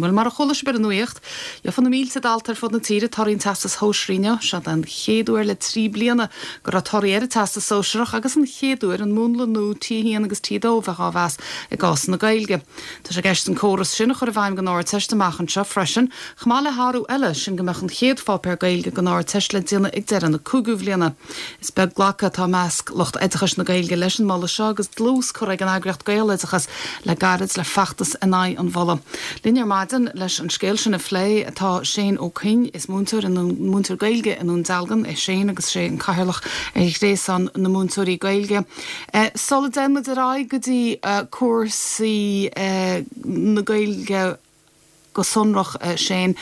Bhuel, mar a chuala sibh ar an nuacht, gheofaidh na mílte dalta ar fud na tíre torthaí an Teastais Shóisearaigh inniu. Seo den chéad uair le 3 bliana go raibh torthaí ar an Teastas Sóisearach agus an chéad uair an múnla nua T1 agus T2 a bheith á mheas i gcás na Gaeilge. Tá sé i gceist an córas sin a chur i bhfeidhm don Ardteist amach anseo freisin, chomh maith le hathrú eile, sin go mbeadh an chéad pháipéar Gaeilge don Ardteist le déanamh ag deireadh na cúigiú bhliana. Is beag glacadh atá i measc lucht oideachais na Gaeilge leis an moladh seo agus dlús curtha ag an eagraíocht Gaeloideachas le gairid le feachtas in aghaidh an mholaidh. Linn ar maidin leis an scéal sin a phlé tá Shane Ó Coinn. Is múinteoir i múinteoir Gaeilge i nDún Dealgan é Shane agus is é an cathaoirleach ar Ghréasán na Múinteoirí Gaeilge. Sula dtéann muid ar aghaidh go dtí cúrsaí na Gaeilge, Go sonrach, Shane,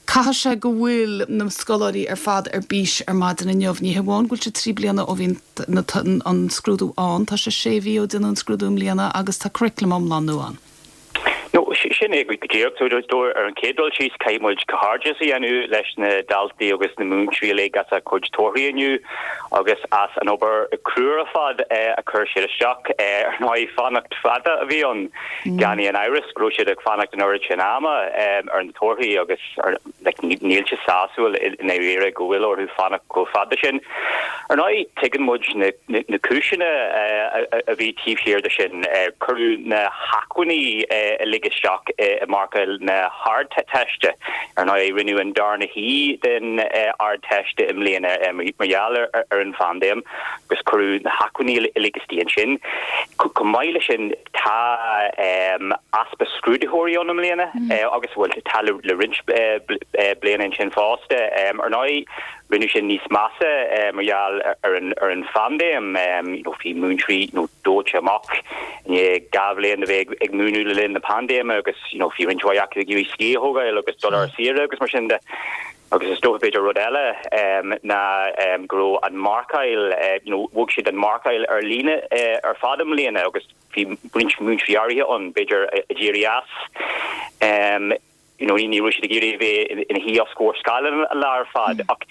caithfidh sé go bhfuil na scoláirí ar fad ar bís ar maidin inniu. Ní hamháin go bhfuil sé 3 bliana ó bhí an scrúdú ann, tá sé sé mhí ó déanadh an scrúdú i mbliana agus tá curriculum iomlán nua ann. No, sin é go díreach. So, ar an chéad dul síos, caithfidh muid comhghairdeas a dhéanamh leis na daltaí agus na múinteoirí uilig as a gcuid torthaí inniu agus as an obair chrua ar fad a chuir siad isteach. Ar ndóigh, fanacht fada a bhí ann. Gan aon amhras go raibh siad ag fanacht an oiread sin ama ar na torthaí agus níl sé sásúil i ndáiríre go bhfuil orthu fanacht chomh fada sin. Ar ndóigh, tuigeann muid na cúiseanna a bhí taobh thiar de sin. Cuireadh na hacmhainní uilig isteach i marcáil na hArdteiste. Ar ndóigh, rinneadh an darna shuí den Ardteist i mbliana mar gheall ar an phaindéim agus cuireadh na hacmhainní uilig istigh ansin. Chomh maith leis sin, Tá easpa scrúdaitheoirí ann i mbliana agus, bhuel, tá le roinnt bliana ansin fosta. Ar ndóigh, rinneadh sin níos measa mar gheall ar an phaindéim. Bhí múinteoirí dóite amach i ndiaidh 2 bhliain a bheith ag múineadh le linn na paindéime agus bhí roinnt mhaith acu ag iarraidh scíth a thógáil agus dul ar saoire agus mar sin de. Agus is dócha b'fhéidir rud eile ná go raibh an mharcáil, you know, bhog siad an mharcáil ar líne ar fad i mbliana agus bhí roinnt múinteoirí áirithe ann, b'fhéidir, a d'éirigh as. You know, ní raibh siad ag iarraidh a bheith ina shuí os comhair scáileáin an lá ar fad. Ach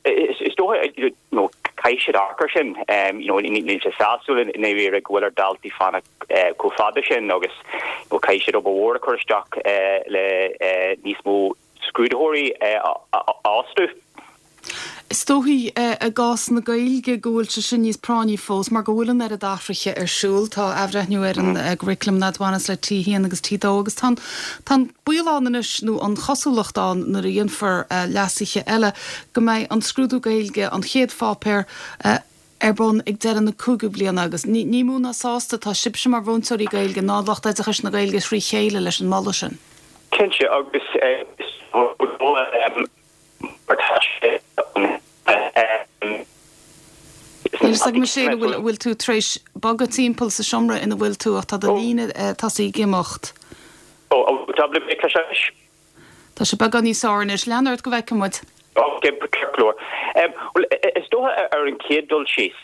is dócha, you know, caithfidh siad amharc air sin. You know, níl sé sásúil i ndáiríre go bhfuil ar daltaí fanacht chomh fada sin agus, you know, caithfidh siad obair mhór a chur isteach le níos mó scrúdaitheoirí a fhostú. Is dóichí i gcás na Gaeilge go bhfuil sé sin níos práinní fós mar go bhfuil an oiread athruithe ar siúl. Tá athbhreithniú ar an gcurriculum a bhaineas le T1 agus T2 agus tá an tá an baol ann anois nó an chosúlacht ann nuair a dhéanfar leasuithe eile go mbeidh an scrúdú Gaeilge, an chéad pháipéar, ar bun ag deireadh na cúigiú bliana agus ní mó ná sásta atá sibhse mar mhúinteoirí Gaeilge ná lucht oideachais na Gaeilge thrí chéile leis an moladh sin. Cinnte, agus is mar tá sé an. Níl a fhios agam a Shane an bhfuil tú tar éis bogadh timpeall sa seomra ina bhfuil tú ach tá do líne tosaithe ag imeacht. Ó, tá mé ag cloisteáil anois. Tá sé beagán níos fearr anois. Lean ort go bhfeicfidh muid. Ok, ceart go leor. Bhuel, is dócha ar an chéad dul síos,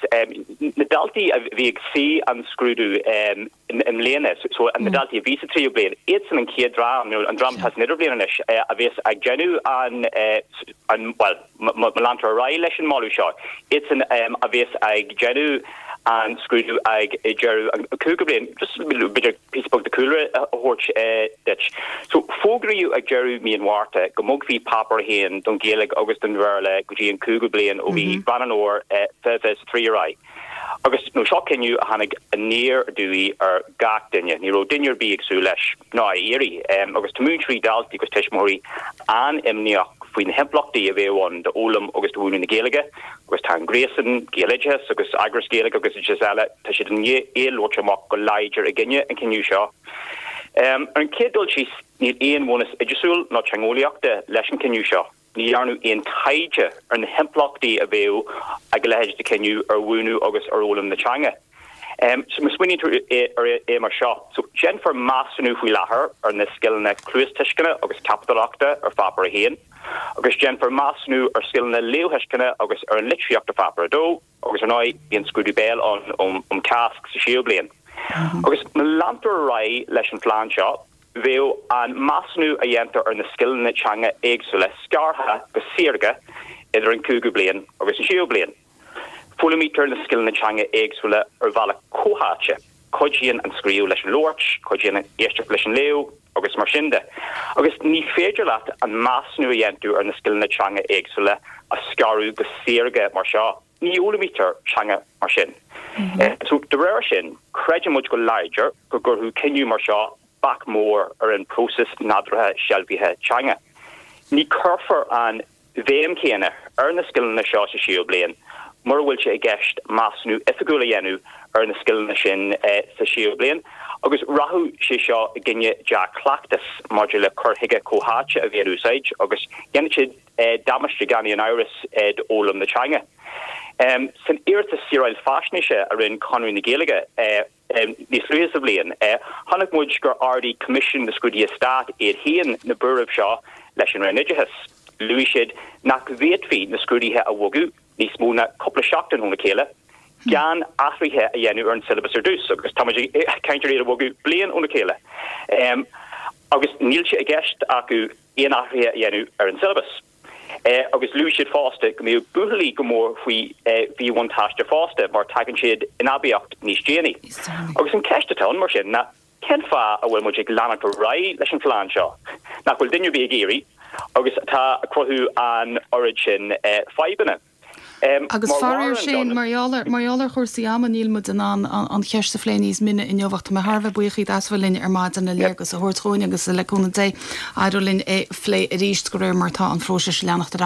na daltaí a bhí ag suí an scrúdú i mbliana, so na daltaí a bhí sa tríú bliain, iadsan an chéad dream, nó an dream atá san idirbhliain anois, a bheas ag déanamh an, an, bhuel, má leantar ar aghaidh leis an moladh seo, iadsan a bheas ag déanamh an scrúdú ag deireadh an cúigiú bliain. Just b'fhéidir píosa beag de chúlra a thabhairt duit. So fógraíodh ag deireadh mí an Mhárta go mbogfaí Páipéar 1 don Ghaeilge agus don Bhéarla go dtí an cúigiú bliain ó mhí Mheán an Fhómhair 2023 ar aghaidh. Agus nó seo cinneadh a tháinig aniar aduaidh ar gach duine. Ní raibh duine ar bith ag súil leis, ná á iarraidh. Agus tá múinteoirí, daltaí agus tuismitheoirí an-imníoch faoi na himpleachtaí a bheadh ann d'fhoghlaim agus do mhúineadh na Gaeilge. Agus tá an Gréasán, Gaeloideachas agus eagrais Ghaeilge agus oideachais eile, tá siad i ndiaidh labhairt amach go láidir i gcoinne an chinnidh seo. Ar an chéad dul síos, níl aon bhunús oideachasúil ná teangeolaíochta leis an chinneadh seo. Ní dhearnadh aon taighde ar na himpleachtaí a bheadh ag a leithéid de chinneadh ar mhúineadh agus ar fhoghlaim na teanga. So má smaoiníonn tú ar é mar seo, so déanfar measúnú faoi láthair ar na scileanna cluastuisceana agus ceapadóireachta ar Pháipéar 1, agus déanfar measúnú ar scileanna léamhthuisceana agus ar an litríocht ar Pháipéar 2, agus ar ndóigh bíonn scrúdú béil ann um Cháisc sa séú bliain. Agus má leantar ar aghaidh leis an phlean seo, bheadh an measúnú a dhéantar ar na scileanna teanga éagsúla scartha go saorga idir an cúigiú bliain agus an séú bliain. Foghlaimítear na scileanna teanga éagsúla ar bhealach comhtháite. Cuidíonn an scríobh leis an labhairt, cuidíonn an éisteacht leis an léamh agus mar sin de. Agus ní féidir leat an measúnú a dhéanamh ar na scileanna teanga éagsúla a scaradh go saorga mar seo. Ní fhoghlaimítear teanga mar sin. So, de réir sin, creideann muid go láidir go gcuirfeadh cinneadh mar seo bac mór ar an bpróiseas nádúrtha sealbhaithe teanga. Ní chuirfear an bhéim chéanna ar na scileanna seo sa séú bliain mura bhfuil sé i gceist measúnú oifigiúil a dhéanamh ar na scileanna sin sa séú bliain agus rachadh sé seo i gcoinne dea-chleachtas maidir le cur chuige comhtháite a bheith in úsáid agus dhéanfadh sé damáiste gan aon amhras d'fhoghlaim na teanga. San iarratas saoráil faisnéise a rinne Conradh na Gaeilge, Níos luaithe sa bhliain, chonaic muid gur ardaigh Coimisiún na Scrúduithe Stáit iad féin na buairimh seo leis an Roinn Oideachais. Luaigh siad nach bhféadfaí na scrúduithe a bhogadh níos mó ná cúpla seachtain óna chéile gan athruithe a dhéanamh ar an siollabas ar dtús, agus tá muid ag caint ar iad a bhogadh bliain óna chéile. Agus níl sé i gceist acu aon athruithe a dhéanamh ar an siollabas. Agus luaigh siad fosta go mbeadh buachaillí go mór faoi mhíbhuntáiste fosta mar tagann siad in aibíocht níos déanaí. Agus an ceist atá ann mar sin ná cén fáth a bhfuil muid ag leanacht ar aghaidh leis an phlean seo nach bhfuil duine ar bith ag iarraidh agus atá ag cruthú an oiread sin fadhbanna? Agus faraor Shane, mar gheall ar, mar gheall ar chúrsaí ama níl muid in ann an cheist a phlé níos mine inniu ach tá mé thar a bheith buíoch díot as a bheith linn ar maidin le léargas a thabhairt dhúinn agus le cúnamh Dé éireoidh linn é a phlé arís de réir mar atá an phróiseas ag leanacht ar aghaidh.